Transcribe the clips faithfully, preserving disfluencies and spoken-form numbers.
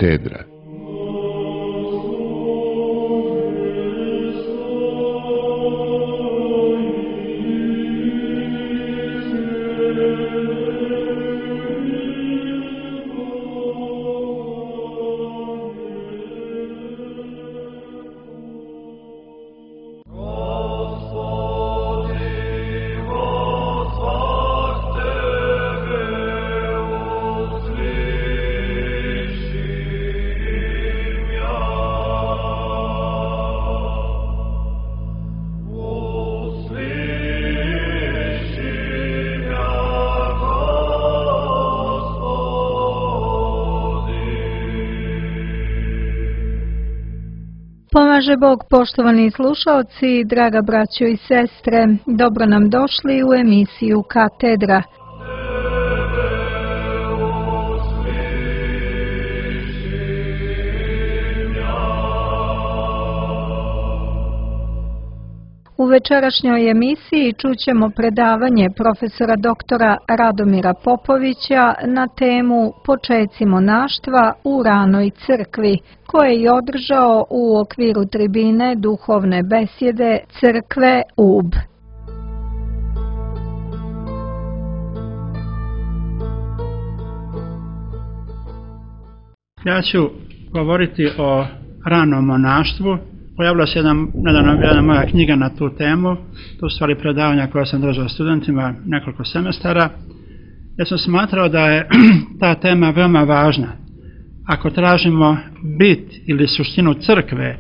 Katedra. Pomaže Bog, poštovani slušalci, draga braćo i sestre, dobro nam došli u emisiju Katedra. U večerašnjoj emisiji čućemo predavanje profesora doktora Radomira Popovića na temu Počeci monaštva u ranoj crkvi, koje je održao u okviru tribine duhovne besjede Crkve Ub. Ja ću govoriti o ranom monaštvu. Pojavila se jedna, nedavno jedna moja knjiga na tu temu, to su stvari predavanja koje sam držao studentima nekoliko semestara. Ja sam smatrao da je ta tema veoma važna. Ako tražimo bit ili suštinu crkve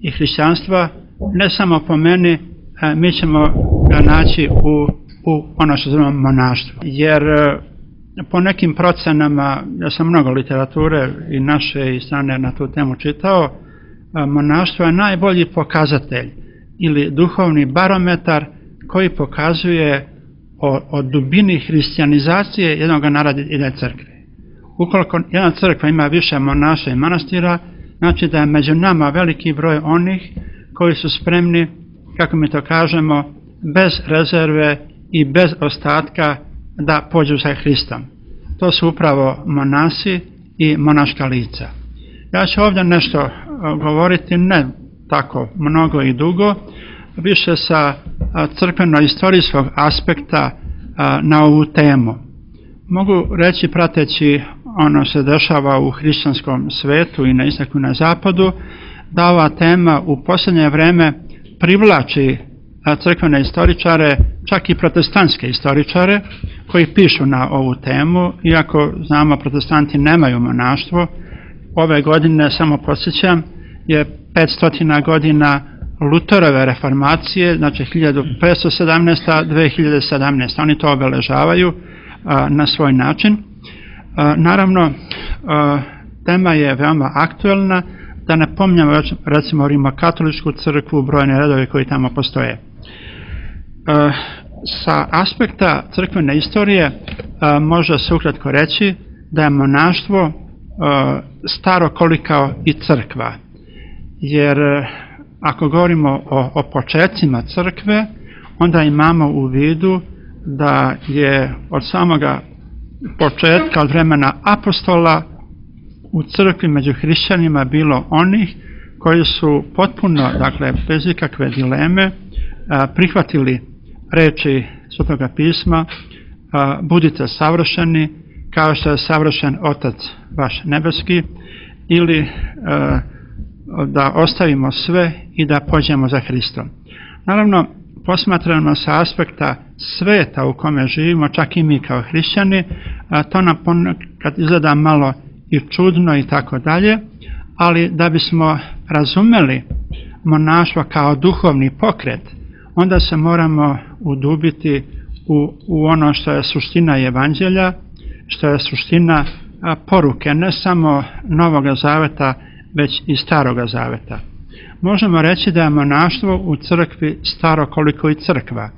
i hrišćanstva, ne samo po meni, mi ćemo ga naći u, u ono što zovemo monaštvo. Jer po nekim procenama, ja sam mnogo literature i naše i strane na tu temu čitao, monaštvo je najbolji pokazatelj ili duhovni barometar koji pokazuje o, o dubini hrišćanizacije jednog naroda i jedne crkve. Ukoliko jedna crkva ima više monaša i manastira, znači da je među nama veliki broj onih koji su spremni, kako mi to kažemo, bez rezerve i bez ostatka da pođu za Hristom. To su upravo monasi i monaška lica. Ja ću ovdje nešto govoriti, ne tako mnogo i dugo, više sa crkveno-istorijskog aspekta na ovu temu. Mogu reći, prateći ono se dešava u hrišćanskom svetu i na istoku i na zapadu, da ova tema u posljednje vreme privlači crkvene istoričare, čak i protestantske istoričare, koji pišu na ovu temu, iako znamo protestanti nemaju monaštvo. Ove godine, samo podsjećam, je petsto godina Luterove reformacije, znači hiljadu petsto sedamnaesta do dve hiljade sedamnaeste. Oni to obeležavaju a, na svoj način. A, naravno, a, tema je veoma aktuelna, da ne pominjamo recimo rimokatoličku crkvu, brojne redove koji tamo postoje. A, sa aspekta crkvene istorije a, može se ukratko reći da je monaštvo staro koliko i crkva, jer ako govorimo o, o počecima crkve, onda imamo u vidu da je od samoga početka, od vremena apostola, u crkvi među hrišćanima bilo onih koji su potpuno, dakle bez ikakve dileme, prihvatili reči Svetoga pisma: budite savršeni kao što je savršen Otac vaš nebeski, ili e, da ostavimo sve i da pođemo za Hristom. Naravno, posmatrano sa aspekta sveta u kome živimo, čak i mi kao hrišćani, a to nam ponekad izgleda malo i čudno i tako dalje, ali da bismo razumeli monaštvo kao duhovni pokret, onda se moramo udubiti u, u ono što je suština evanđelja, što je suština poruke ne samo Novoga zaveta, već i Staroga zaveta. Možemo reći da je monaštvo u crkvi staro koliko i crkva,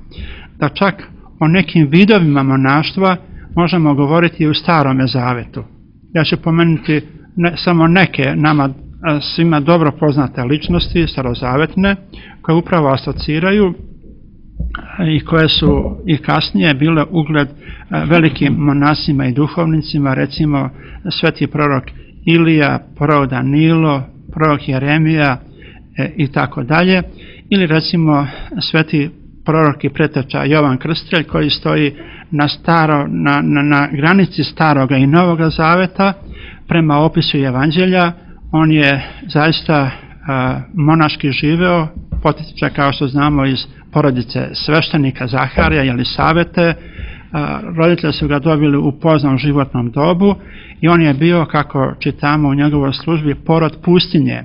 da čak o nekim vidovima monaštva možemo govoriti i u Starome zavetu. Ja ću pomenuti ne, samo neke nama svima dobro poznate ličnosti starozavetne, koje upravo asociraju i koje su i kasnije bile ugled velikim monasima i duhovnicima, recimo sveti prorok Ilija, prorok Danilo, prorok Jeremija e, i tako dalje. Ili recimo sveti prorok i preteča Jovan Krstitelj koji stoji na, staro, na, na, na granici Staroga i Novoga Zaveta prema opisu Evanđelja. On je zaista a, monaški živeo, potiče kao što znamo iz porodice sveštenika Zaharija ili Savete. A, roditelji su ga dobili u poznom životnom dobu i on je bio, kako čitamo u njegovoj službi, porod pustinje,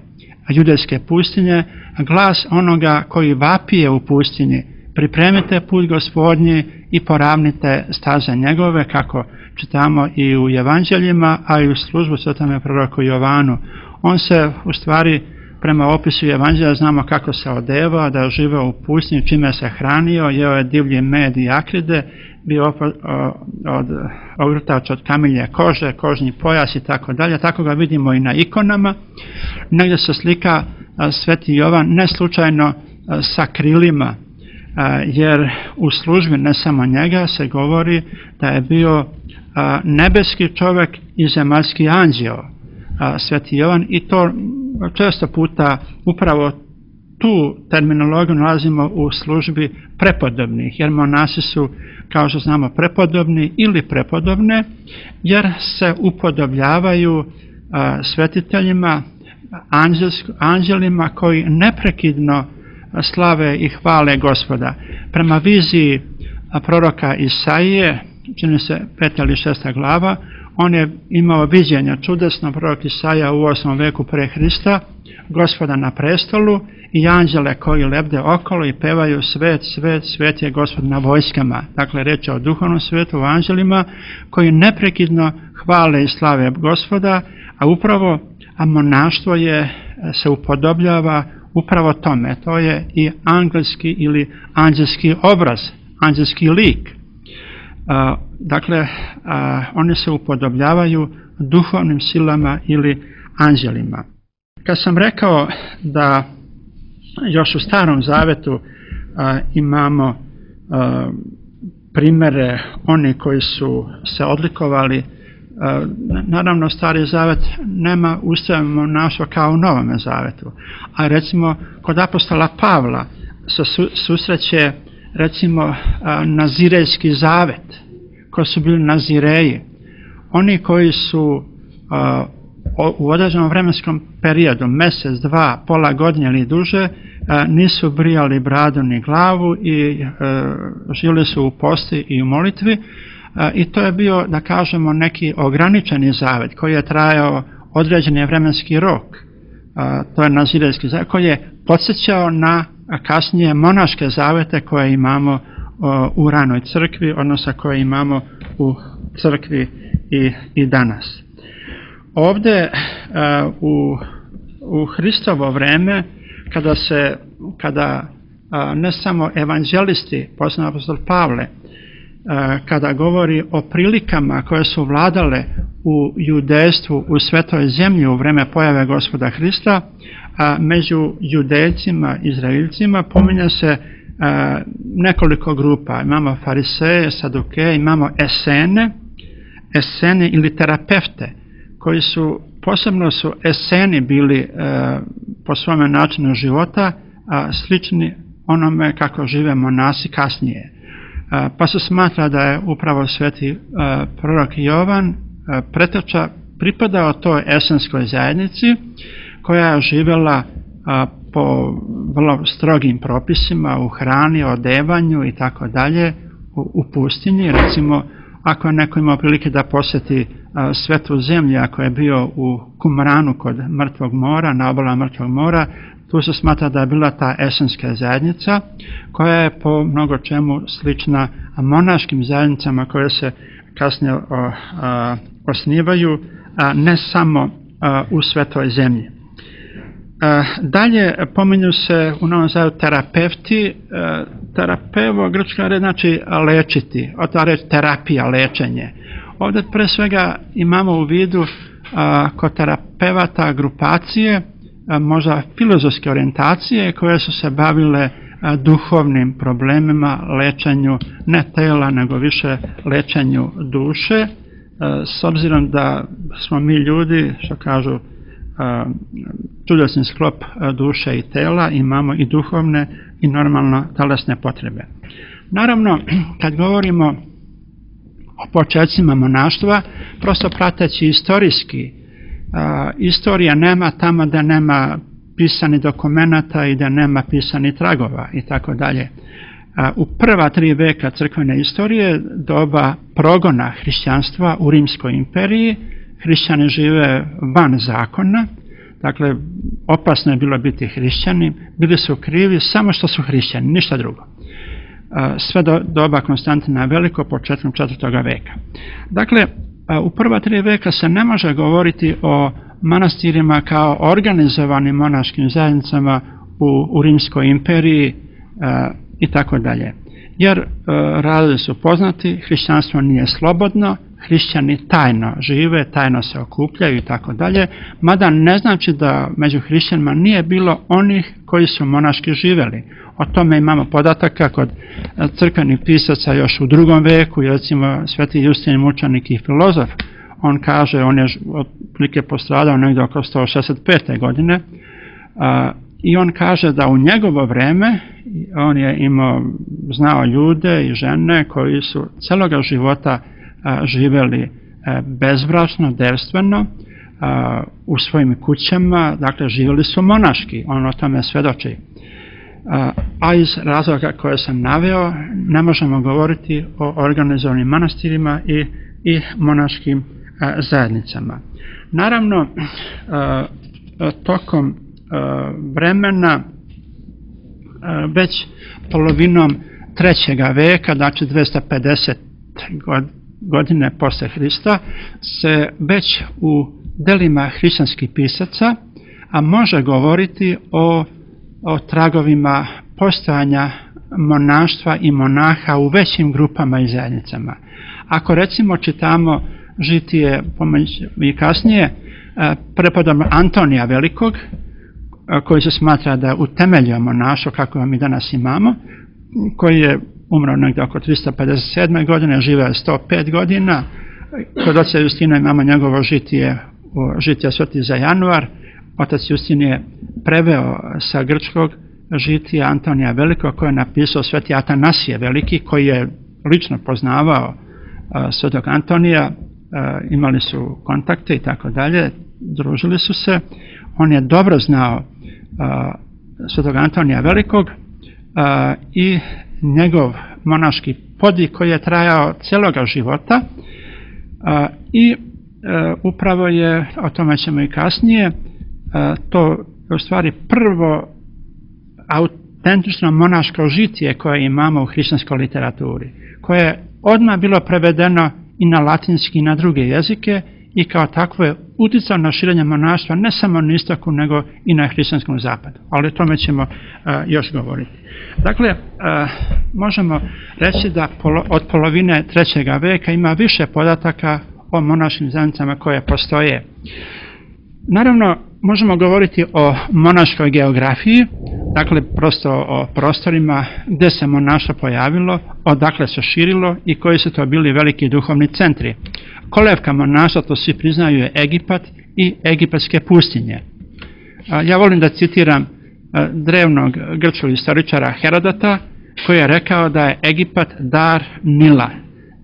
judejske pustinje, glas onoga koji vapije u pustinji: pripremite put Gospodnji i poravnite staze njegove, kako čitamo i u Evanđeljima, a i u službu svetome proroku Jovanu. On se u stvari, prema opisu Evanđelja, znamo kako se odevao, da je živeo u pustinji, čime se hranio, jeo je divlji med i akride, bio od ogrtač od kamilje kože, kožni pojas i tako dalje. Tako ga vidimo i na ikonama. Negdje se slika sveti Jovan ne slučajno sa krilima, jer u službi ne samo njega se govori da je bio nebeski čovjek i zemaljski anđeo, sveti Jovan, i to često puta upravo tu terminologiju nalazimo u službi prepodobnih, jer monasi su, kao što znamo, prepodobni ili prepodobne, jer se upodobljavaju svetiteljima, anđelima koji neprekidno slave i hvale Gospoda. Prema viziji proroka Isaije, čini se peta ili šesta glava, on je imao viđenja čudesno, prorok Isaija u osmom veku pre Hrista, Gospoda na prestolu i anđele koji lebde okolo i pevaju: svet, svet, svet je Gospod na vojskama. Dakle, reč je o duhovnom svetu, o anđelima koji neprekidno hvale i slave Gospoda, a upravo a monaštvo je, se upodobljava upravo tome. To je i angelski ili anđelski obraz, anđelski lik. Uh, dakle, uh, oni se upodobljavaju duhovnim silama ili anđelima. Kad sam rekao da još u Starom Zavetu uh, imamo uh, primere oni koji su se odlikovali, uh, naravno Stari Zavet nema ustroja monaštva kao u Novome Zavetu, a recimo kod apostola Pavla se su, susreće recimo uh, Nazirejski zavet, koji su bili Nazireji, oni koji su uh, u određenom vremenskom periodu, mjesec, dva, pola godine ili duže, nisu brijali bradu ni glavu i živjeli su u posti i u molitvi, i to je bio, da kažemo, neki ograničeni zavet koji je trajao određeni vremenski rok. To je Nazirejski zavet koji je podsjećao na kasnije monaške zavete koje imamo u ranoj crkvi, odnosno koje imamo u crkvi i, i danas. Ovdje uh, u, u Hristovo vreme, kada se, kada uh, ne samo evanđelisti, posebno apostol Pavle, uh, kada govori o prilikama koje su vladale u judejstvu u svetoj zemlji u vreme pojave Gospoda Hrista, uh, među judejcima, Izraelcima, pominje se uh, nekoliko grupa. Imamo fariseje, sadukeje, imamo esene, esene ili terapevte, koji su, posebno su eseni bili e, po svome načinu života a, slični onome kako žive monasi kasnije. A, pa se smatra da je upravo sveti a, prorok Jovan a, preteča pripadao toj esenskoj zajednici koja je živjela a, po vrlo strogim propisima u hrani, odevanju i tako dalje u pustinji. Recimo, ako je neko imao prilike da posjeti a, svetu zemlju, ako je bio u Kumranu kod Mrtvog mora, na obalama Mrtvog mora, tu se smatra da je bila ta esenska zajednica koja je po mnogo čemu slična monaškim zajednicama koje se kasnije o, a, osnivaju, a, ne samo a, u svetoj zemlji. A, dalje pominju se u Novom Zavetu terapevti. A, terapevo, grčka reč znači lečiti, od ta reč terapija, lečenje. Ovdje pre svega imamo u vidu a, kod terapevata grupacije, a, možda filozofske orijentacije koje su se bavile a, duhovnim problemima, lečenju ne tela nego više lečenju duše, s obzirom da smo mi ljudi, što kažu, čudesni sklop duše i tela, imamo i duhovne i normalno telesne potrebe. Naravno, kad govorimo o početcima monaštva, prosto prateći istorijski, istorija nema tamo da nema pisani dokumenata i da nema pisani tragova i tako dalje. U prva tri veka crkvene istorije, doba progona hrišćanstva u Rimskoj imperiji, hrišćani žive van zakona, dakle opasno je bilo biti hrišćani, bili su krivi samo što su hrišćani, ništa drugo. Sve do doba Konstantina Velikog, početkom četvrtog veka. Dakle, u prva tri veka se ne može govoriti o manastirima kao organizovanim monaškim zajednicama u, u Rimskoj imperiji i tako dalje. Jer razlozi su poznati, hrišćanstvo nije slobodno, hrišćani tajno žive, tajno se okupljaju i tako dalje, mada ne znači da među hrišćanima nije bilo onih koji su monaški živjeli. O tome imamo podataka kod crkvenih pisaca još u drugom veku, recimo Sveti Justin mučenik i filozof. On kaže, on je otprilike postradao negdje oko sto šezdeset pete godine, a, i on kaže da u njegovo vreme on je imao, znao ljude i žene koji su celoga života a, živjeli a, bezbračno, devstveno, a, u svojim kućama, dakle živjeli su monaški, on o tome svedoči. A, a iz razloga koje sam naveo ne možemo govoriti o organizovanim manastirima i, i monaškim a, zajednicama. Naravno, a, tokom vremena već polovinom trećega veka, znači dvesta pedeset godine posle Hrista, se već u delima hrišćanskih pisaca a može govoriti o, o tragovima postojanja monaštva i monaha u većim grupama i zajednicama. Ako recimo čitamo žitije i kasnije prepodobnog Antonija Velikog, koji se smatra da je utemeljio monaštvo kako ga mi danas imamo, koji je umro negdje oko tristo pedeset sedme godine, živeo je sto pet godina. Kod oca Justina imamo njegovo žitije, žitije Sveti za januar. Otac Justin je preveo sa grčkog žitija Antonija Velikog, koje je napisao Sveti Atanasije Veliki, koji je lično poznavao Svetog Antonija, imali su kontakte i tako dalje, družili su se. On je dobro znao Svetog Antonija Velikog i njegov monaški podvig koji je trajao celoga života, i upravo je, o tome ćemo i kasnije, to u stvari prvo autentično monaško žitije koje imamo u hrišćanskoj literaturi, koje je odmah bilo prevedeno i na latinski i na druge jezike i kao takvo je uticao na širenje monaštva ne samo na istoku nego i na hrišćanskom zapadu, ali o tome ćemo uh, još govoriti. Dakle, uh, možemo reći da polo, od polovine trećega veka ima više podataka o monaškim zajednicama koje postoje. Naravno, možemo govoriti o monaškoj geografiji, dakle prosto o prostorima gdje se monaštvo pojavilo, odakle se širilo i koji su to bili veliki duhovni centri. Kolevka monaštva, to svi priznaju, je Egipat i egipatske pustinje. Ja volim da citiram drevnog grčkog istoričara Herodota, koji je rekao da je Egipat dar Nila.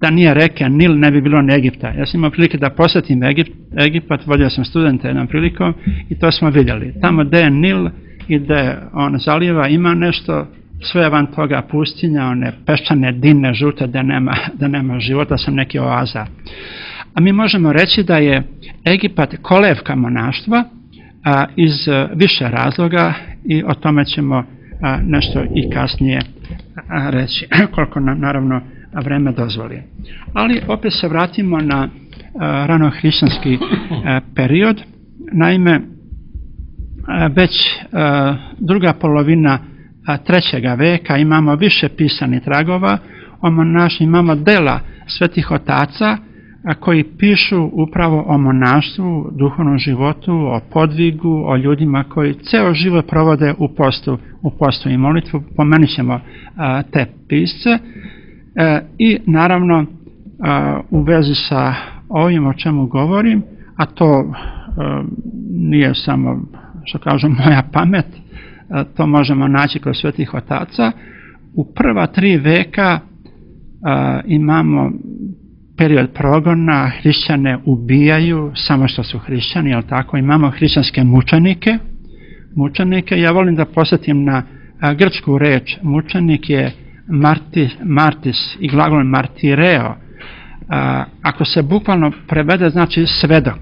Da nije reke Nil, ne bi bilo ni Egipta. Ja sam imao prilike da posjetim Egipt, Egipat, vodio sam studente jednom prilikom i to smo vidjeli. Tamo gdje je Nil i gdje on zaliva ima nešto, sve van toga pustinja, one peščane dine žute da nema, da nema života, sam neki oaza. A mi možemo reći da je Egipat kolevka monaštva a, iz više razloga i o tome ćemo a, nešto i kasnije a, reći, koliko nam naravno vreme dozvoli. Ali opet se vratimo na uh, ranohrišćanski uh, period. Naime, uh, već uh, druga polovina uh, trećega veka imamo više pisanih tragova o monaštvu, imamo dela svetih otaca uh, koji pišu upravo o monaštvu, duhovnom životu, o podvigu, o ljudima koji ceo život provode u postu, u postu i molitvu. Pomenut ćemo uh, te pisce. E, I naravno a, u vezi sa ovim o čemu govorim, a to nije samo, što kažu, moja pamet, to možemo naći kod svetih otaca. U prva tri veka imamo period progona, hrišćane ubijaju samo što su hrišćani, jel tako? Imamo hrišćanske mučenike. Mučenike, ja volim da posjetim na grčku reč. Mučenik je martis, martis i glagol martireo. Ako se bukvalno prevede, znači svedok.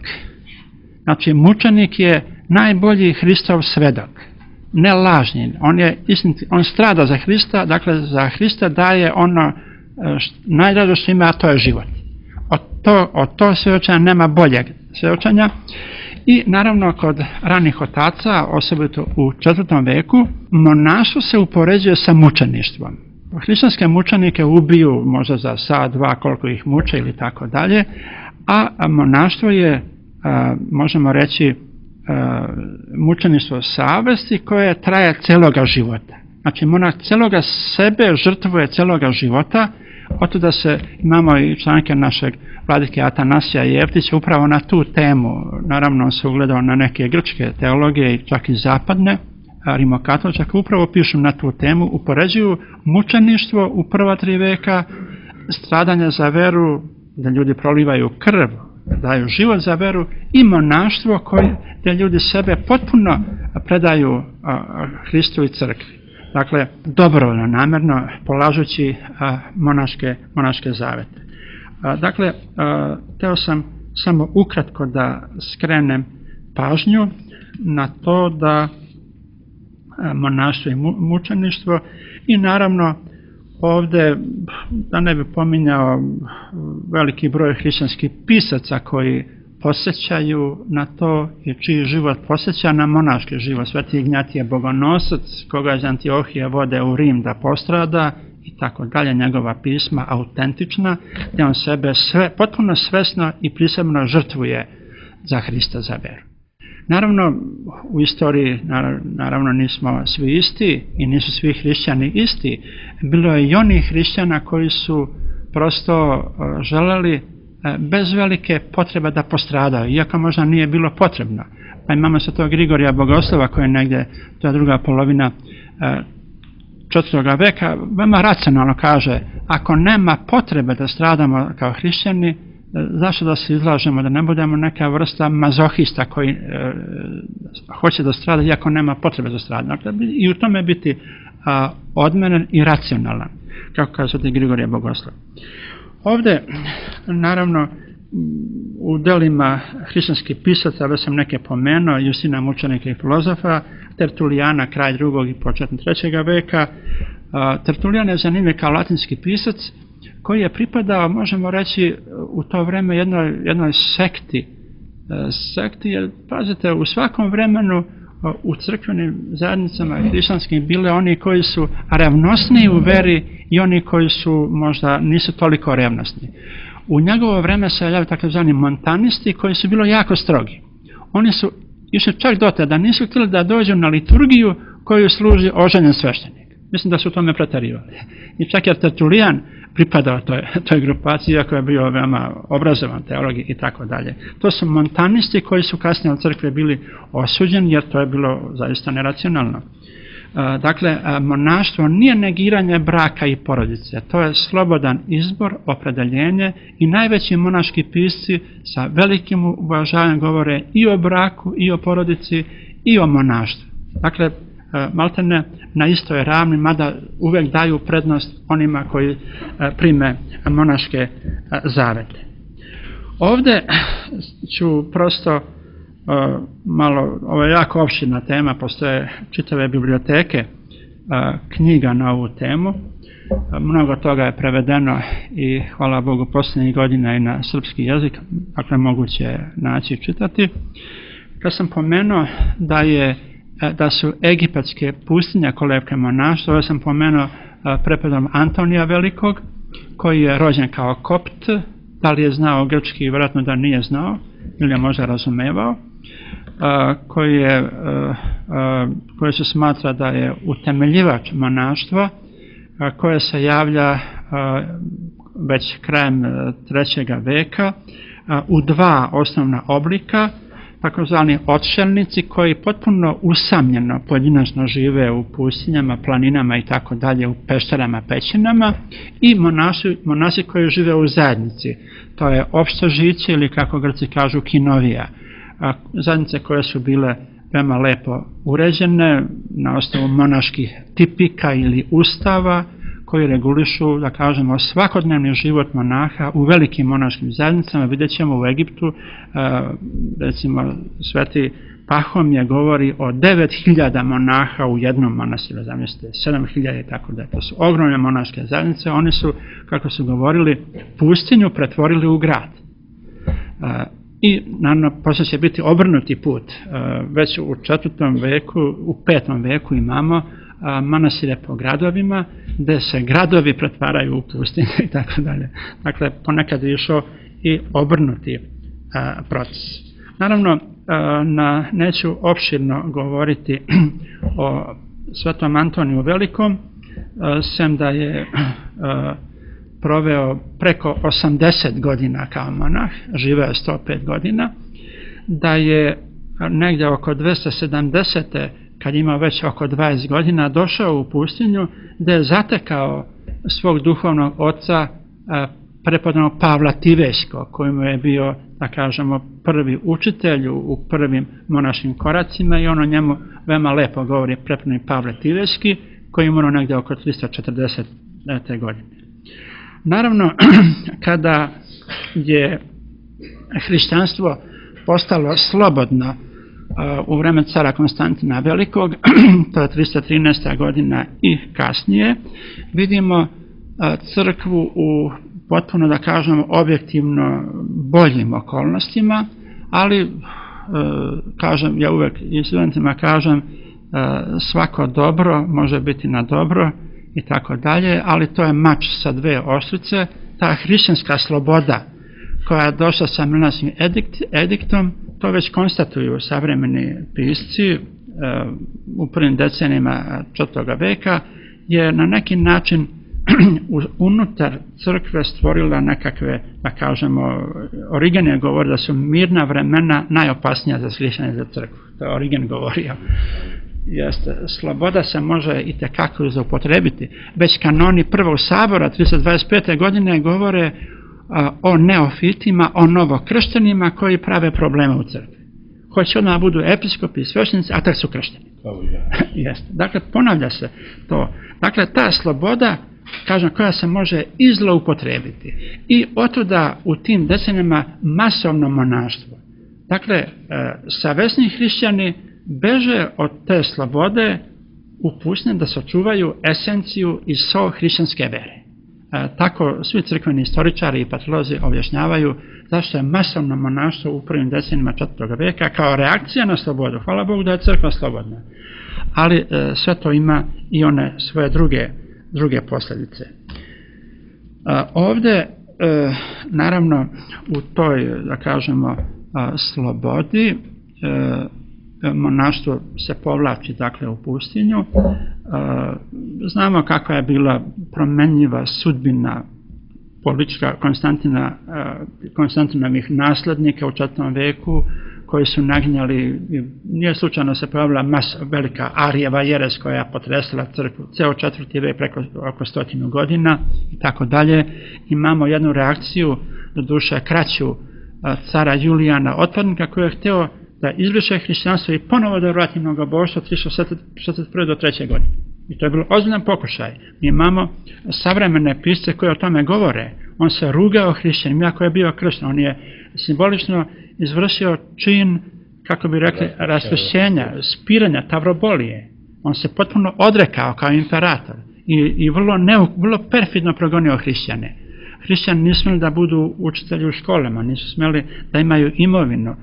Znači, mučenik je najbolji Hristov svedok, ne lažni. On, je istiniti, on strada za Hrista, dakle za Hrista daje ono najdraže što ima, a to je život. Od to, od to svjedočenja nema boljeg svjedočenja. I naravno kod ranih otaca, osobito u četvrtom veku, monaštvo se upoređuje sa mučeništvom. Hrišćanske mučenike ubiju možda za sat, dva, koliko ih muče ili tako dalje, a monaštvo je, a, možemo reći, a, mučeništvo savesti koje traje celoga života. Znači, monah celoga sebe žrtvuje celoga života. Oto da se imamo i članke našeg vladike Atanasija Jeftića upravo na tu temu. Naravno, on se ugledao na neke grčke teologije i čak i zapadne, rimokatoličke, upravo pišu na tu temu, upoređuju mučeništvo u prva tri veka, stradanje za veru, da ljudi prolivaju krv, daju život za veru, i monaštvo koje, gdje ljudi sebe potpuno predaju Hristu i crkvi. Dakle, dobrovoljno, namjerno, polažući a, monaške, monaške zavete. A, dakle, a, teo sam samo ukratko da skrenem pažnju na to da a, monaštvo i mu, mučeništvo, i naravno ovdje, da ne bi pominjao veliki broj hrišćanskih pisaca koji posjećaju na to i čiji život posjeća na monaški život. Sveti Ignjatije Bogonosac, koga iz Antiohije vode u Rim da postrada i tako dalje, njegova pisma autentična, gdje on sebe sve, potpuno svesno i prisebno žrtvuje za Hrista, za veru. Naravno, u istoriji naravno nismo svi isti i nisu svi hrišćani isti. Bilo je i onih hrišćana koji su prosto želeli bez velike potrebe da postradaju, iako možda nije bilo potrebno. Pa imamo se to Grigorija Bogoslova, koji je negdje, to je druga polovina četvrtoga veka, veoma racionalno kaže, ako nema potrebe da stradamo kao hrišćani, zašto da se izlažemo, da ne budemo neka vrsta mazohista koji e, hoće da strada, iako nema potrebe da strada. Dakle, i u tome biti a, odmeren i racionalan, kako kaže Grigorije Bogoslov. Ovdje, naravno, u delima hrišćanskih pisaca, već sam neke pomenuo, Justina mučenika i filozofa, Tertulijana, kraj drugog i početak trećega veka. Tertulijan je zanimljiv kao latinski pisac, koji je pripadao, možemo reći, u to vreme jednoj, jednoj sekti. Sekti, jer, pazite, u svakom vremenu u crkvenim zajednicama hrišćanskim bile oni koji su revnosniji u veri i oni koji su možda nisu toliko revnosni. U njegovo vreme se javljaju takozvani montanisti koji su bilo jako strogi. Oni su išli čak do te da nisu htjeli da dođu na liturgiju koju služi oženjen sveštenik. Mislim da su u tome preterivali. I čak je Tertulijan pripadao toj, toj grupaciji, iako je bio veoma obrazovan teolog i tako dalje. To su montanisti koji su kasnije od crkve bili osuđeni, jer to je bilo zaista neracionalno. Dakle, monaštvo nije negiranje braka i porodice, to je slobodan izbor, opredeljenje, i najveći monaški pisci sa velikim uvažavanjem govore i o braku, i o porodici, i o monaštvu. Dakle, maltene na istoj ravni, mada uvijek daju prednost onima koji prime monaške zavete. Ovdje ću prosto malo, ovo je jako opširna tema, postoje čitave biblioteke knjiga na ovu temu. Mnogo toga je prevedeno i hvala Bogu posljednjih godina i na srpski jezik, dakle moguće je naći i čitati. Kad sam pomenuo da je da su egipatske pustinje kolevke monaštva, ovo sam pomenuo prepodom Antonija Velikog, koji je rođen kao kopt, da li je znao grčki, vjerojatno da nije znao, ili je možda razumevao, koji, je, koji se smatra da je utemeljivač monaštva, koje se javlja već krajem trećega veka, u dva osnovna oblika, takozvani odšelnici koji potpuno usamljeno pojedinačno žive u pustinjama, planinama i tako dalje, u pešterama, pećinama, i monasi, monasi koji žive u zajednici. To je opšto žiće ili, kako Grci kažu, kinovija. Zajednice koje su bile veoma lepo uređene na osnovu monaških tipika ili ustava koji regulišu, da kažemo, svakodnevni život monaha u velikim monaškim zajednicama. Vidjet ćemo u Egiptu, recimo Sveti Pahomije govori o devet hiljada monaha u jednom manastiru, zamislite, sedam hiljada i tako da. To su ogromne monaške zajednice. Oni su, kako su govorili, pustinju pretvorili u grad. I naravno posle će biti obrnuti put. Već u četvrtom veku, u petom veku imamo manastire po gradovima, gde se gradovi pretvaraju u pustinje i tako dalje. Dakle, ponekad je išao i obrnuti proces. Naravno, na, neću opširno govoriti o Svetom Antoniju Velikom, sem da je proveo preko osamdeset godina kao monah, živeo je sto pet godina, da je negdje oko dvesta sedamdesete kad je imao već oko dvadeset godina, došao u pustinju gde je zatekao svog duhovnog oca prepodobnog Pavla Tivejskog, kojemu je bio, da kažemo, prvi učitelj u prvim monaškim koracima, i ono njemu veoma lepo govori prepodobni Pavle Tivejski, koji je umro negdje oko tristo četrdesete godine. Naravno, kada je hrišćanstvo postalo slobodno u vreme cara Konstantina Velikog, to je tristo trinaesta godina i kasnije, vidimo crkvu u potpuno, da kažemo, objektivno boljim okolnostima, ali, kažem, ja uvek i studentima kažem, svako dobro može biti na dobro i tako dalje, ali to je mač sa dve oštrice. Ta hrišćanska sloboda koja je došla sa Milanskim ediktom, to već konstatuju savremeni pisci u prvim decenijima četvrtog veka, je na neki način unutar crkve stvorila nekakve, da kažemo, Origen je govorio da su mirna vremena najopasnija za hrišćane za crkvu. To je Origen govorio. Jeste, sloboda se može i tekako zaupotrebiti. Već kanoni prvog sabora tristo dvadeset pete godine govore o neofitima, o novokrštenima koji prave probleme u crkvi. Hoće odmah budu episkopi i sveštenici, a tek su kršteni. Jeste. Dakle, ponavlja se to. Dakle, ta sloboda, kažem, koja se može i zloupotrebiti. I otuda u tim decenijama masovno monaštvo. Dakle, savesni hrišćani beže od te slobode u pustinje da sačuvaju esenciju i so hrišćanske vere. E, tako svi crkveni istoričari i patriolozi objašnjavaju zašto je masovno monaštvo u prvim decenijima četvrtog veka kao reakcija na slobodu. Hvala Bogu da je crkva slobodna. Ali e, sve to ima i one svoje druge, druge posljedice. E, ovde, e, naravno, u toj, da kažemo, a, slobodi, e, monaštvo se povlači, dakle, u pustinju. Znamo kakva je bila promenljiva sudbina politička Konstantina, Konstantinovih naslednika u četvrtom veku, koji su nagnjali, nije slučajno se pojavila mas, velika Arijeva jeres koja je potresla crkvu, ceo četvrti vek preko oko stotinu godina i tako dalje. Imamo jednu reakciju, do duše kraću, cara Julijana Otpadnika, koji je hteo da izbriše hrišćanstvo i ponovo da vrati mnogoboštvo tristo šezdeset prve do treće godine. I to je bilo ozbiljan pokušaj. Mi imamo savremene pisce koje o tome govore. On se rugao hrišćanima, iako je bio kršten. On je simbolično izvršio čin, kako bi rekli, raskršćenja, spiranja, tavrobolije. On se potpuno odrekao kao imperator i, i vrlo, ne, vrlo perfidno progonio hrišćane. Hrišćani nisu smjeli da budu učitelji u školama, nisu smjeli da imaju imovinu.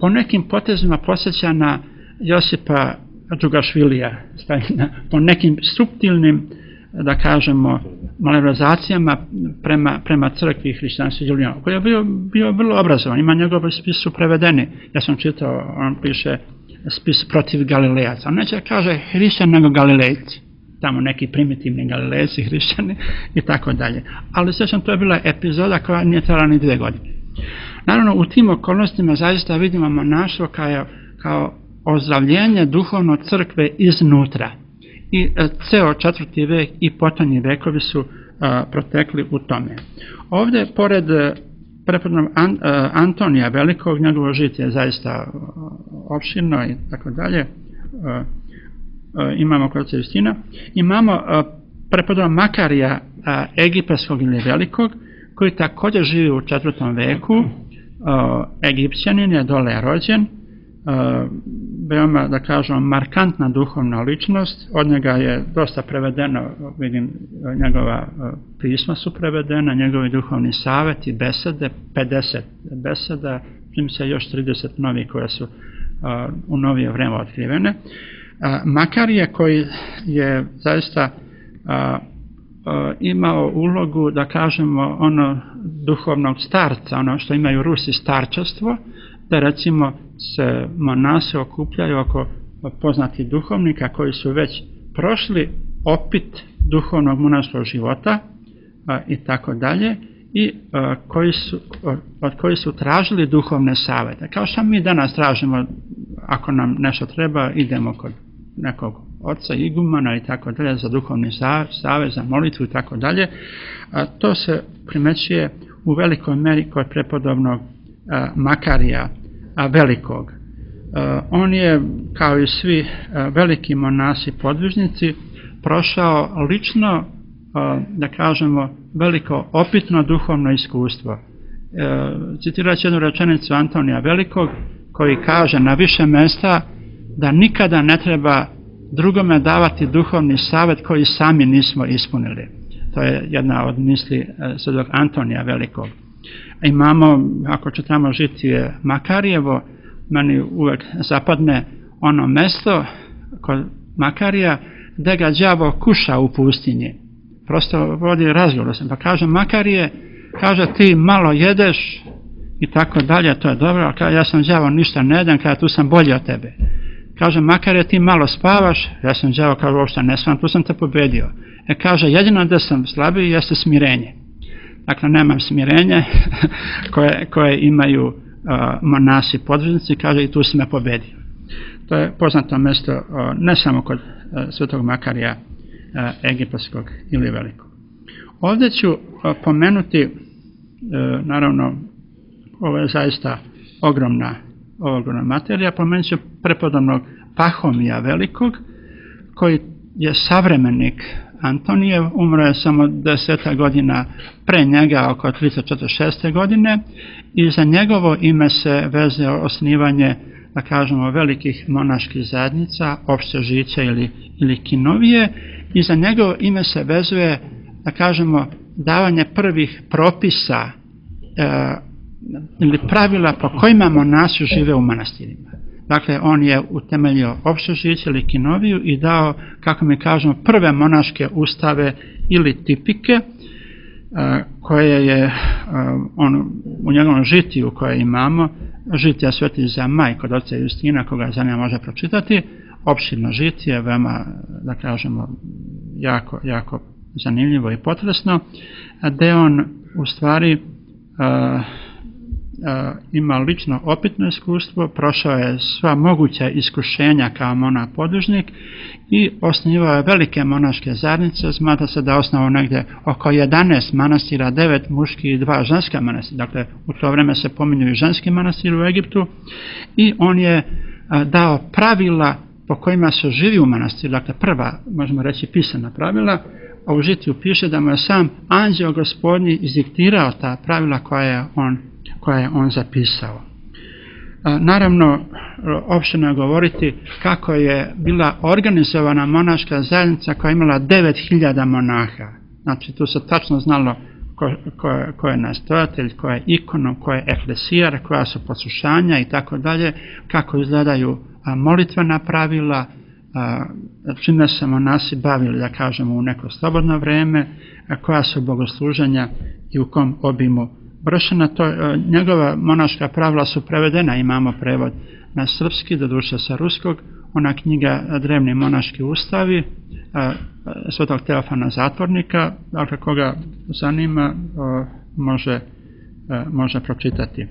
Po nekim potezima posjeća na Josipa Džugašvilija, po nekim suptilnim, da kažemo, malverzacijama prema, prema crkvi hrišćanstva Julijana, koji je bio, bio vrlo obrazovan, ima njegovi spis su prevedeni. Ja sam čitao, on piše spis protiv Galilejaca. On neće kaže hrišćan nego Galilejci, tamo neki primitivni Galilejci, hrišćani i tako dalje. Ali sjećam, to je bila epizoda koja nije trajala ni dve godine. Naravno, u tim okolnostima zaista vidimo monaštvo kao, kao ozdravljenje duhovno crkve iznutra. I ceo četvrti vek i potonji vekovi su a, protekli u tome. Ovdje, pored prepodobnog An, a, Antonija Velikog, njegovo žitje je zaista opširno i tako dalje, imamo kod Justina, imamo prepodobnog Makarija a, Egipatskog ili Velikog, koji također živi u četvrtom veku, a, Egipćanin je dole rođen, a, veoma, da kažemo, markantna duhovna ličnost, od njega je dosta prevedeno, vidim, njegova pisma su prevedena, njegovi duhovni savjeti, besede, pedeset beseda, čim se još trideset novi koje su a, u novije vreme otkrivene. A, Makarije, koji je zaista a, a, imao ulogu, da kažemo, ono duhovnog starca, ono što imaju Rusi starčastvo, da recimo se monasi okupljaju oko poznatih duhovnika koji su već prošli opit duhovnog monaškog života a, i tako dalje, i a, koji su, od koji su tražili duhovne savjete. Kao što mi danas tražimo, ako nam nešto treba, idemo kod nekog oca igumana i tako dalje za duhovni savjet, za molitvu i tako dalje. To se primećuje u velikoj meri kod prepodobnog a, Makarija a, Velikog. A, on je, kao i svi a, veliki monasi podvižnici, prošao lično, a, da kažemo, veliko opitno duhovno iskustvo. Citirat ću jednu rečenicu Antonija Velikog, koji kaže na više mjesta da nikada ne treba drugome davati duhovni savjet koji sami nismo ispunili. To je jedna od misli svetog Antonija Velikog. Imamo, ako čitamo žitije Makarijevo, meni uvek zapadne ono mesto kod Makarija gdje ga đavo kuša u pustinji. Prosto vodi razgovor, pa kaže Makarije, kaže ti malo jedeš i tako dalje, to je dobro, ali ja sam đavo ništa ne jedem, kada tu sam bolji od tebe. Kaže Makarije, ti malo spavaš, ja sam đavo, kao uopšte ne spavam, tu sam te pobedio. E kaže, jedino da sam slabiji jeste smirenje. Dakle, nemam smirenje koje, koje imaju uh, monasi podvižnici, kaže i tu si me pobedio. To je poznato mjesto uh, ne samo kod uh, svetog Makarija uh, Egipatskog ili Velikog. Ovdje ću uh, pomenuti, uh, naravno, ovo je zaista ogromna, ogromna materija, pomenut ću prepodobnog Pahomija Velikog, koji je savremenik Antonijev, umro je samo deseta godina pre njega, oko tristo četrdeset šeste godine, i za njegovo ime se veze osnivanje, da kažemo, velikih monaških zajednica, opšte žiće ili, ili kinovije, i za njegovo ime se vezuje, da kažemo, davanje prvih propisa e, ili pravila po kojima monasi žive u manastirima. Dakle, on je utemeljio opšte žiće ili kinoviju i dao, kako mi kažemo, prve monaške ustave ili tipike, koje je on, u njegovom žitiju koje imamo, žitija Sveti Zamaj kod oca Justina, koga zanima može pročitati, opširno žitije, veoma, da kažemo, jako, jako zanimljivo i potresno, gde on u stvari a, a, ima lično opitno iskustvo, prošao je sva moguća iskušenja kao monah podvižnik i osnivao je velike monaške zajednice. Smatra se da je osnovao negdje oko jedanaest manastira, devet muških i dva ženska manastira. Dakle, u to vreme se pominju i ženski manastir u Egiptu, i on je a, dao pravila po kojima se živi u manastiru. Dakle, prva, možemo reći, pisana pravila, a u žitiju piše da mu je sam anđeo gospodnji izdiktirao ta pravila koja je on, koja je on zapisao. A, naravno, opšteno je govoriti kako je bila organizovana monaška zajednica koja je imala devet hiljada monaha. Znači, tu se tačno znalo ko, ko, ko je nastojatelj, ko je ikonom, ko je eklesijar, koja su poslušanja i tako dalje, kako izgledaju a, molitvena pravila, a, čime se monasi bavili, da kažemo, u neko slobodno vreme, a, koja su bogosluženja i u kom obimu vršena. To, a, njegova monaška pravila su prevedena, imamo prevod na srpski, doduše sa ruskog, ona knjiga Drevni monaški ustavi, a, svetog Teofana Zatvornika, dakle koga zanima, a, može može pročitati.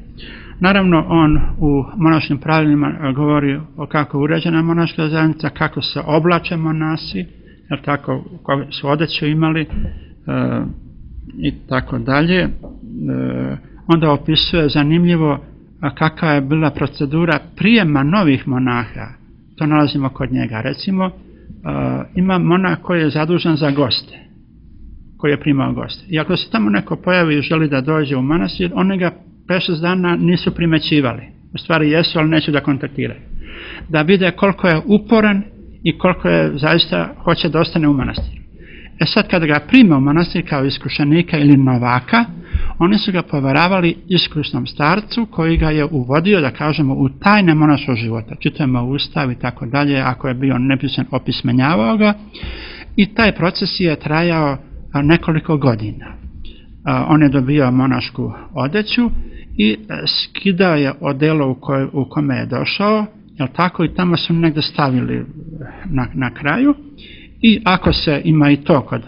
Naravno, on u monaškim pravilima govori o kako je uređena monaška zajednica, kako se oblače monasi, jer tako, kako su odeću imali i tako dalje. Onda opisuje zanimljivo kakva je bila procedura prijema novih monaha. To nalazimo kod njega. Recimo, ima monah koji je zadužen za goste, koji je primao goste. I ako se tamo neko pojavi i želi da dođe u manastir, oni ga pet šest dana nisu primećivali. U stvari jesu, ali neću da kontaktiraju. Da vide koliko je uporan i koliko je zaista hoće da ostane u manastiru. E sad kada ga prime u manastir kao iskušenika ili novaka, oni su ga poveravali iskusnom starcu koji ga je uvodio, da kažemo, u tajne monaškog života. Čitamo Ustav i tako dalje, ako je bio nepisan, opismenjavao ga. I taj proces je trajao nekoliko godina. On je dobio monašku odeću i skidao je odelo u, koj, u kome je došao, jel tako, i tamo su negdje stavili na, na kraju. I ako se, ima i to kod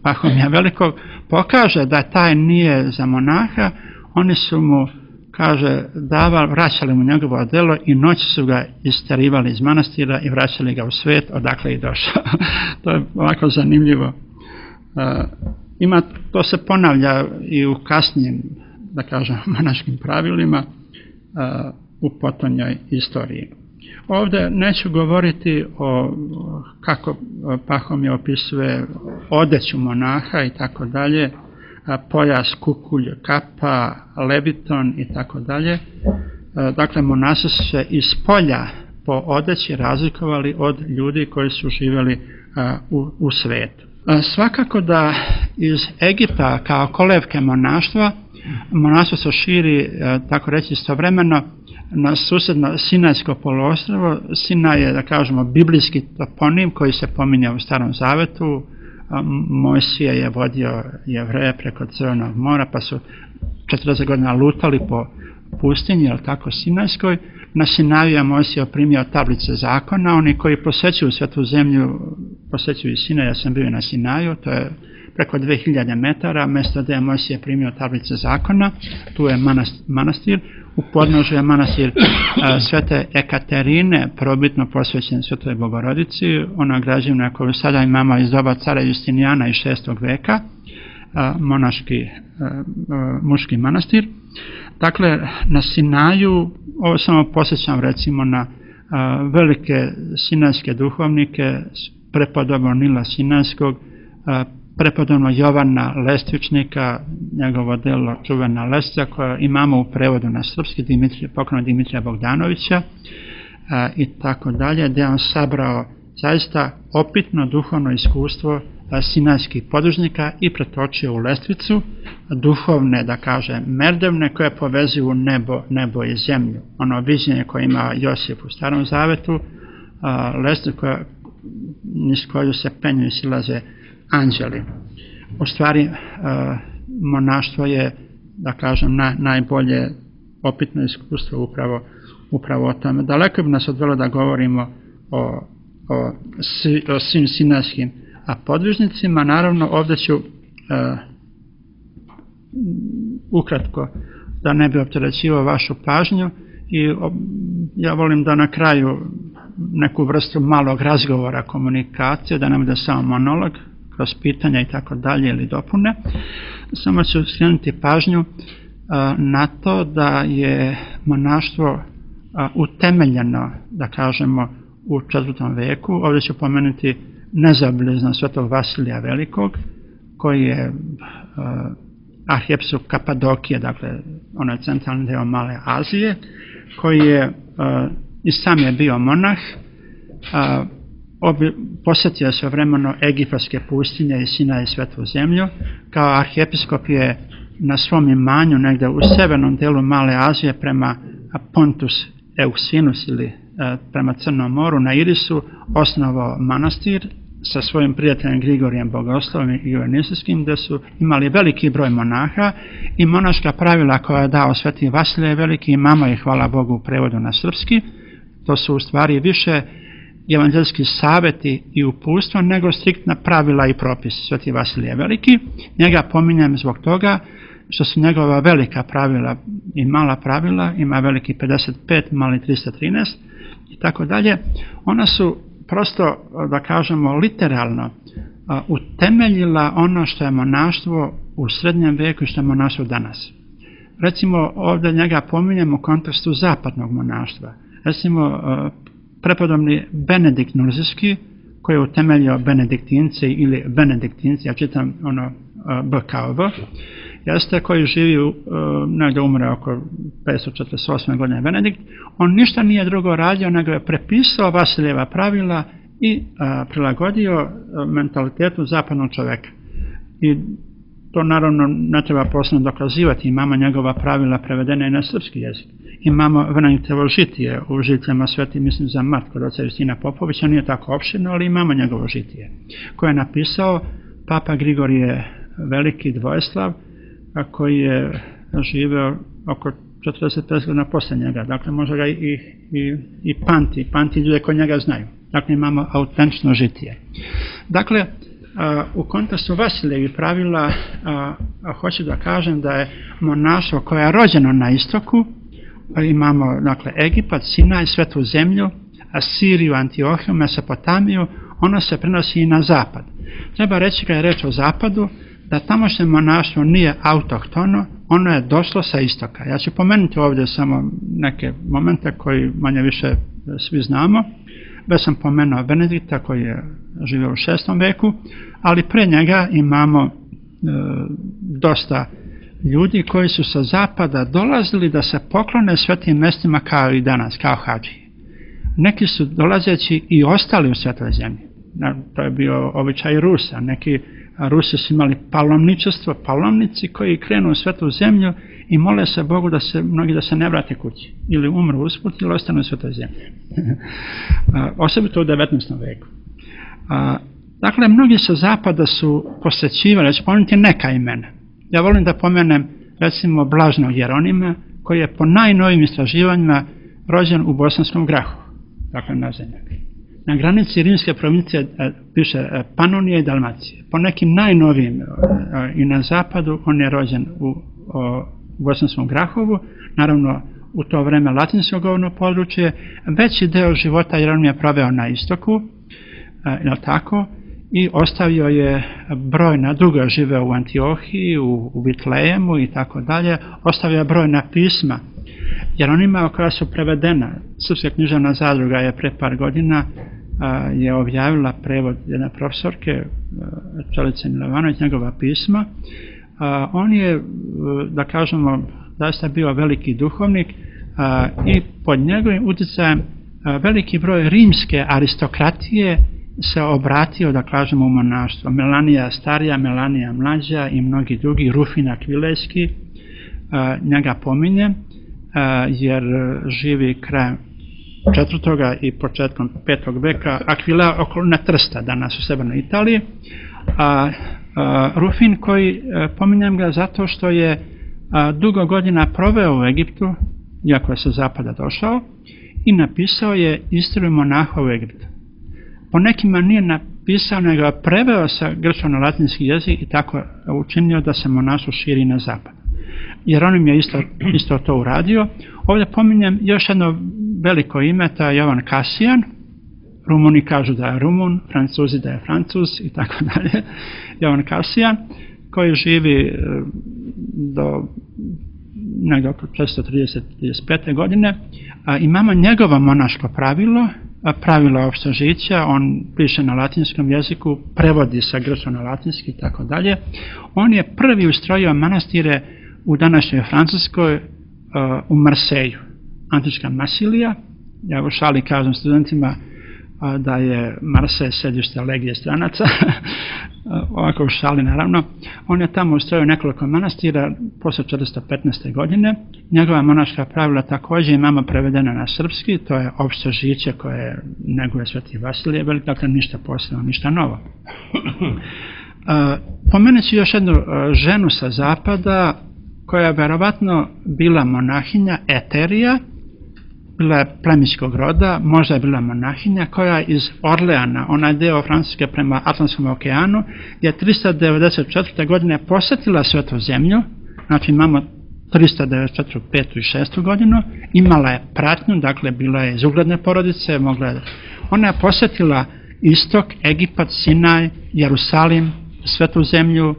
Pahomija Velikog, pokaže da taj nije za monaha, oni su mu, kaže, davali, vraćali mu njegovo odelo i noć su ga isterivali iz manastira i vraćali ga u svijet odakle je došao. To je ovako zanimljivo. Uh, ima, to se ponavlja i u kasnijim, da kažem, monaškim pravilima uh, u potonjoj istoriji. Ovdje neću govoriti o kako Pahomije opisuje odeću monaha i tako dalje, pojas, kukulj, kapa, leviton i tako dalje. Dakle, monasi su se iz polja po odeći razlikovali od ljudi koji su živjeli u, u svijetu. Svakako da iz Egipta kao kolevke monaštva, monaštvo se širi, tako reći, istovremeno na susjedno Sinajsko poluostrvo. Sinaj je, da kažemo, biblijski toponim koji se pominje u Starom Zavetu. Mojsije je vodio Jevreje preko Crvenog mora, pa su četrdeset godina lutali po pustinji, jel tako, Sinajskoj. Na Sinaju je Mojsije primio tablice zakona. Oni koji posećuju Svetu zemlju, posećuju i Sinaj. Ja sam bio na Sinaju, to je preko dve hiljade metara, mjesto gdje je Mojsije primio tablice zakona. Tu je manastir. U podnožju je manastir Svete Ekaterine, probitno posvećen Svetoj Bogorodici. Ona građevina koju sada imamo iz doba cara Justinijana iz šestog veka, monaški, muški manastir. Dakle, na Sinaju, ovo samo posjećam recimo na velike sinajske duhovnike, prepodobno Nila Sinajskog, prepodobno Jovana Lestvičnika, njegovo delo Čuvena Lestvica, koje imamo u prevodu na srpski, Dimitrija, pokojnog Dimitrija Bogdanovića a, i tako dalje, gdje on sabrao zaista opitno duhovno iskustvo a, sinajskih podružnika i pretočio u Lestvicu duhovne, da kaže, merdevne koje povezuju nebo, nebo i zemlju. Ono viđenje koje ima Josip u Starom Zavetu, Lestvicu koja, niz koju se penju i silaze anđeli. U stvari, monaštvo je, da kažem, na, najbolje opitno iskustvo upravo, upravo o tome. Daleko bi nas odvelo da govorimo o, o, o svim sinajskim podvižnicima. Naravno, ovdje ću uh, ukratko, da ne bi opterećivao vašu pažnju, i o, ja volim da na kraju neku vrstu malog razgovora, komunikacije, da ne bude samo monolog, kroz pitanja i tako dalje ili dopune. Samo ću skrenuti pažnju uh, na to da je monaštvo uh, utemeljeno, da kažemo, u četvrtom veku. Ovdje ću pomenuti nezaobilazno Svetog Vasilija Velikog, koji je uh, arhijepiskop Kapadokije, dakle ono je centralni deo Male Azije, koji je uh, i sam je bio monah. Uh, Obi, posjetio se vremeno egipatske pustinje i Sinaj i Svetu zemlju. Kao arhijepiskop je na svom imanju negdje u severnom delu Male Azije prema Pontus Euxinus ili e, prema Crnom moru na Irisu osnovao manastir sa svojim prijateljem Grigorijem Bogoslovom i Ionisijskim, gdje su imali veliki broj monaha i monaška pravila koja je dao Sveti Vasilije Veliki, imamo ih, hvala Bogu, u prevodu na srpski. To su u stvari više evanđelski savjeti i uputstva nego striktna pravila i propisi. Sveti Vasilije Veliki, njega pominjem zbog toga što su njegova velika pravila i mala pravila, ima veliki pedeset pet, mali tristo trinaest i tako dalje, ona su prosto, da kažemo, literalno utemeljila ono što je monaštvo u srednjem veku i što je monaštvo danas. Recimo, ovdje njega pominjem u kontekstu zapadnog monaštva. Recimo, prepodobni Benedikt Nurzijski, koji je utemeljio benediktince ili benediktinci, ja čitam ono B kao V, jeste koji živi, negdje umre oko petsto četrdeset osme godine Benedikt, on ništa nije drugo radio, nego je prepisao Vasilijeva pravila i a, prilagodio mentalitetu zapadnog čovjeka. I to naravno ne treba posebno dokazivati, imamo njegova pravila prevedene i na srpski jezik. Imamo Benediktovo žitije u žitljama sveti, mislim za Mart kod oca Justina Popovića, nije tako opširno, ali imamo njegovo žitije, koje je napisao Papa Grigorije Veliki Dvojeslav, koji je živeo oko četrdeset pet godina poslije njega, dakle može ga i, i, i pamti, pamti ljude koji njega znaju. Dakle imamo autentično žitije. Dakle, u kontekstu Vasilijevih pravila hoću da kažem da je monaštvo koje je rođeno na istoku, imamo dakle Egipat, Sinaj, Svetu zemlju, Asiriju, Antiohiju, Mesopotamiju, ono se prenosi i na zapad. Treba reći kad je reč o zapadu, da tamošnje monaštvo nije autohtono, ono je došlo sa istoka. Ja ću pomenuti ovdje samo neke momente koji manje više svi znamo. Već sam pomenuo Benedikta koji je živio u šestom veku, ali pre njega imamo e, dosta ljudi koji su sa zapada dolazili da se poklone svetim mestima kao i danas, kao hadži. Neki su dolazeći i ostali u Svetoj zemlji. To je bio običaj Rusa. Neki Rusi su imali palomničestvo, palomnici koji krenu u Svetu zemlju i mole se Bogu da se mnogi da se ne vrate kući. Ili umru usput ili ostanu u Svetoj zemlji. Osobito u devetnaestom veku. Dakle, mnogi sa zapada su posjećivali, ću pomenuti neka imena. Ja volim da pomenem recimo Blažnog Jeronima, koji je po najnovim istraživanjima rođen u Bosanskom Grahu, dakle na zemlji. Na granici rimske provincije piše Panonije i Dalmacije. Po nekim najnovijim i na zapadu on je rođen u Bosanskom Grahovu, naravno u to vreme latinsko govorno područje. Veći deo života Jeronim je proveo na istoku, je tako, i ostavio je brojna, dugo je živeo u Antiohiji, u, u Vitlejemu i tako dalje, ostavio je brojna pisma Jeronima koja su prevedena. Srpska književna zadruga je pre par godina a, je objavila prevod jedne profesorke Čelice Milovanović, njegova pisma. A, on je, da kažemo, zaista bio veliki duhovnik a, i pod njegovim utjecajem a, veliki broj rimske aristokratije se obratio, da kažemo, u monaštvo. Melanija starija, Melanija mlađa i mnogi drugi, Rufin Akvilejski, a, njega pominje, a, jer živi krajem četvrtoga i početkom petog veka, Akvila okolina Trsta, danas u severnoj Italiji. A, a, Rufin koji, a, pominjem ga zato što je a, dugo godina proveo u Egiptu, iako je sa zapada došao, i napisao je istoriju monaha u Egiptu. Po nekima nije napisao, nego je preveo sa grčko na latinski jezik i tako učinio da se monaštvo širi na zapad. Jeronim je isto, isto to uradio. Ovdje pominjem još jedno veliko ime, to je Jovan Kasijan. Rumuni kažu da je Rumun, Francuzi da je Francuz i tako dalje. Jovan Kasijan, koji živi do negdje oko četiristo trideset do trideset pete godine. A, imamo njegovo monaško pravilo, pravilo opštožića, on piše na latinskom jeziku, prevodi sa grčko na latinski i tako dalje. On je prvi ustrojio manastire u današnjoj Francuskoj, uh, u Marseju, antička Masilija. Ja u šali kažem studentima uh, da je Marsej sedište legije stranaca, ovako u šali naravno. On je tamo ustrojio nekoliko manastira posle četiristo petnaeste. godine. Njegova monaška pravila također imamo prevedena na srpski, to je opšte žiće koje neguje Sveti Vasilije Velik, dakle ništa posebno, ništa novo. Uh, pomenući još jednu uh, ženu sa zapada, koja je verovatno bila monahinja, Eterija, bila je plemićkog roda, možda je bila monahinja, koja je iz Orleana, onaj deo Francuske prema Atlantskom okeanu, je tristo devedeset četvrte. godine posjetila Svetu zemlju znači imamo trista devedeset četvrtu, petu i šestu godinu, imala je pratnju, dakle bila je iz ugledne porodice, mogla je, ona je posjetila istok, Egipat, Sinaj, Jerusalim, Svetu zemlju,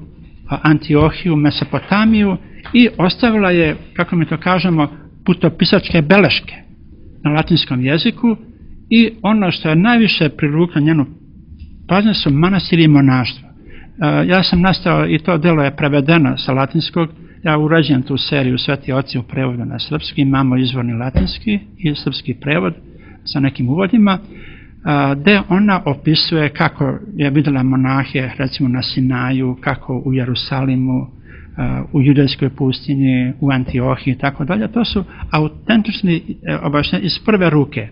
Antiohiju, Mesopotamiju i ostavila je, kako mi to kažemo, putopisačke beleške na latinskom jeziku i ono što je najviše privuklo njenu pažnju su manastiri i monaštva. Ja sam nastao i to delo je prevedeno sa latinskog, ja urađujem tu seriju Sveti oci u prevodu na srpski, imamo izvorni latinski i srpski prevod sa nekim uvodima, gde ona opisuje kako je vidjela monahe recimo na Sinaju, kako u Jerusalimu, u judejskoj pustinji, u Antiohiji i tako dalje. To su autentični objašnjenja iz prve ruke.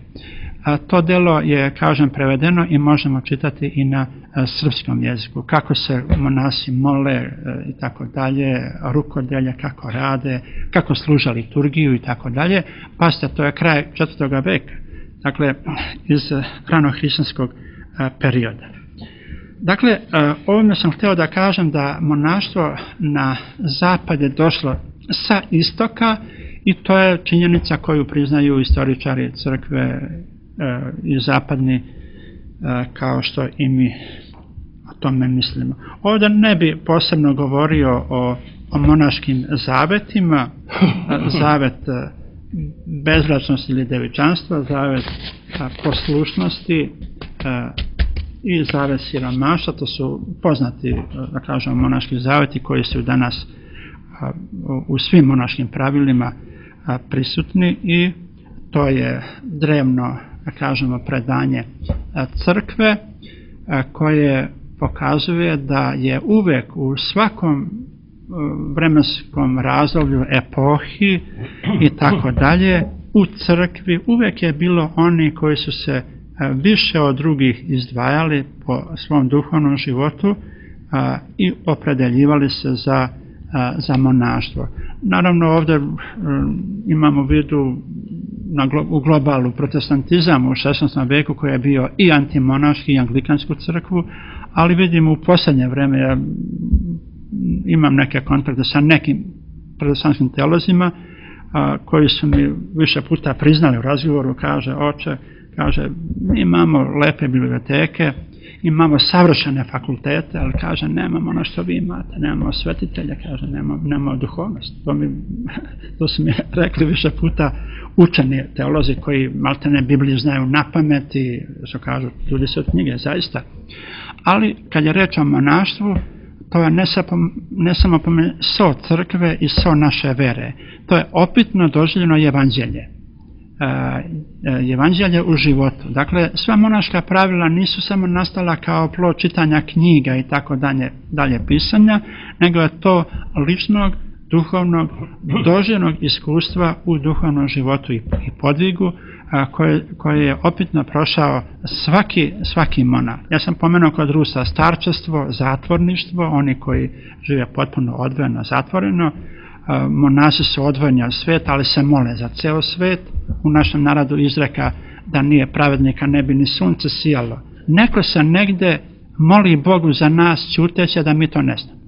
To delo je, kažem, prevedeno i možemo čitati i na srpskom jeziku. Kako se monasi mole i tako dalje, rukodelje, kako rade, kako služa liturgiju i tako dalje. Pazite, to je kraj četvrtog veka. Dakle, iz ranohrišćanskog perioda. Dakle, ovime sam htio da kažem da monaštvo na zapad je došlo sa istoka i to je činjenica koju priznaju istoričari crkve i zapadni, kao što i mi o tome mislimo. Ovdje ne bi posebno govorio o, o monaškim zavetima, zavet bezbračnosti ili devičanstva, zavet poslušnosti i zavet siromaštva. To su poznati, da kažemo, monaški zaveti koji su danas u svim monaškim pravilima prisutni i to je drevno, da kažemo, predanje crkve koje pokazuje da je uvek u svakom vremenskom razdoblju, epohi i tako dalje, u crkvi uvek je bilo oni koji su se više od drugih izdvajali po svom duhovnom životu i opredeljivali se za, za monaštvo. Naravno, ovdje imamo u vidu na, u globalu protestantizam u šesnaestom veku koji je bio i antimonaški i anglikansku crkvu, ali vidimo u posljednje vreme, ja imam neke kontakte sa nekim protestantskim teolozima a, koji su mi više puta priznali u razgovoru, kaže, oče, kaže, mi imamo lepe biblioteke, imamo savršene fakultete, ali kaže, nemamo ono što vi imate, nemamo svetitelja, kaže, nemamo, nemamo duhovnost. To, mi, to su mi rekli više puta učeni teolozi koji maltene Bibliju znaju na pamet i što kažu, ljudi se od knjige, zaista. Ali kad je reč o monaštvu, to je ne, sapo, ne samo so crkve i so naše vere. To je opitno doživljeno evanđelje. E, evanđelje u životu. Dakle, sva monaška pravila nisu samo nastala kao plod čitanja knjiga i tako dalje, dalje pisanja, nego je to ličnog, duhovnog, doživljenog iskustva u duhovnom životu i, i podvigu a, koje, koje je opitno prošao svaki, svaki monah. Ja sam pomenuo kod Rusa starčestvo, zatvorništvo, oni koji žive potpuno odvojeno, zatvoreno. A, monasi su odvojeni od sveta, ali se mole za ceo svet. U našem narodu izreka da nije pravednika ne bi ni sunce sijalo. Neko se negde moli Bogu za nas ćuteće da mi to ne znamo.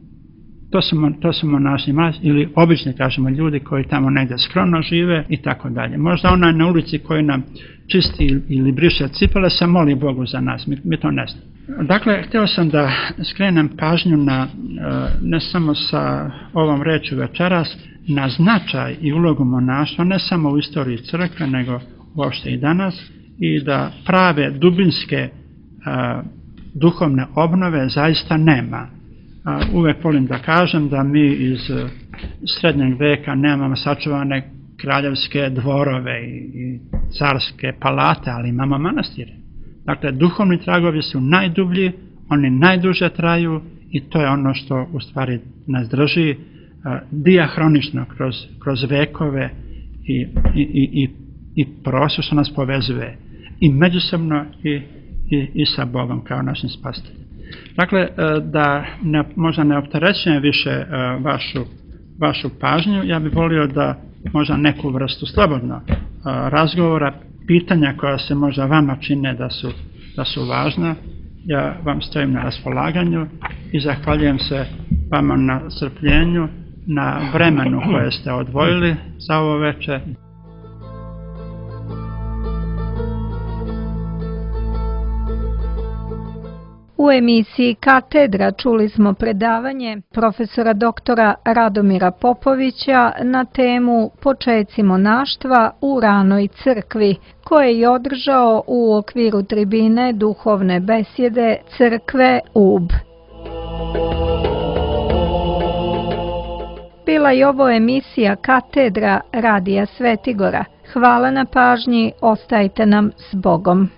To su, to su monasi ili obični, kažemo, ljudi koji tamo negdje skromno žive i tako dalje. Možda onaj na ulici koji nam čisti ili briše cipele se moli Bogu za nas, mi, mi to ne znamo. Dakle, htio sam da skrenem pažnju na, ne samo sa ovom rečju večeras, na značaj i ulogu monaštva, ne samo u istoriji crkve, nego uopšte i danas, i da prave dubinske a, duhovne obnove zaista nema. A, uvek volim da kažem da mi iz srednjeg veka nemamo sačuvane kraljevske dvorove i, i carske palate, ali imamo manastire. Dakle, duhovni tragovi su najdublji, oni najduže traju i to je ono što u stvari nas drži a, dijahronično kroz, kroz vekove i, i, i, i, i prostor što nas povezuje i međusobno i, i, i sa Bogom kao našim spasiteljem. Dakle, da ne, možda ne opterećujem više vašu, vašu pažnju, ja bih volio da možda neku vrstu slobodno razgovora, pitanja koja se možda vama čine da su, da su važna, ja vam stojim na raspolaganju i zahvaljujem se vama na strpljenju na vremenu koje ste odvojili za ovo veče. U emisiji Katedra čuli smo predavanje profesora doktora Radomira Popovića na temu Počeci monaštva u ranoj crkvi, koje je održao u okviru tribine duhovne besjede Crkve Ub. Bila je ovo emisija Katedra Radija Svetigora. Hvala na pažnji, ostajte nam s Bogom.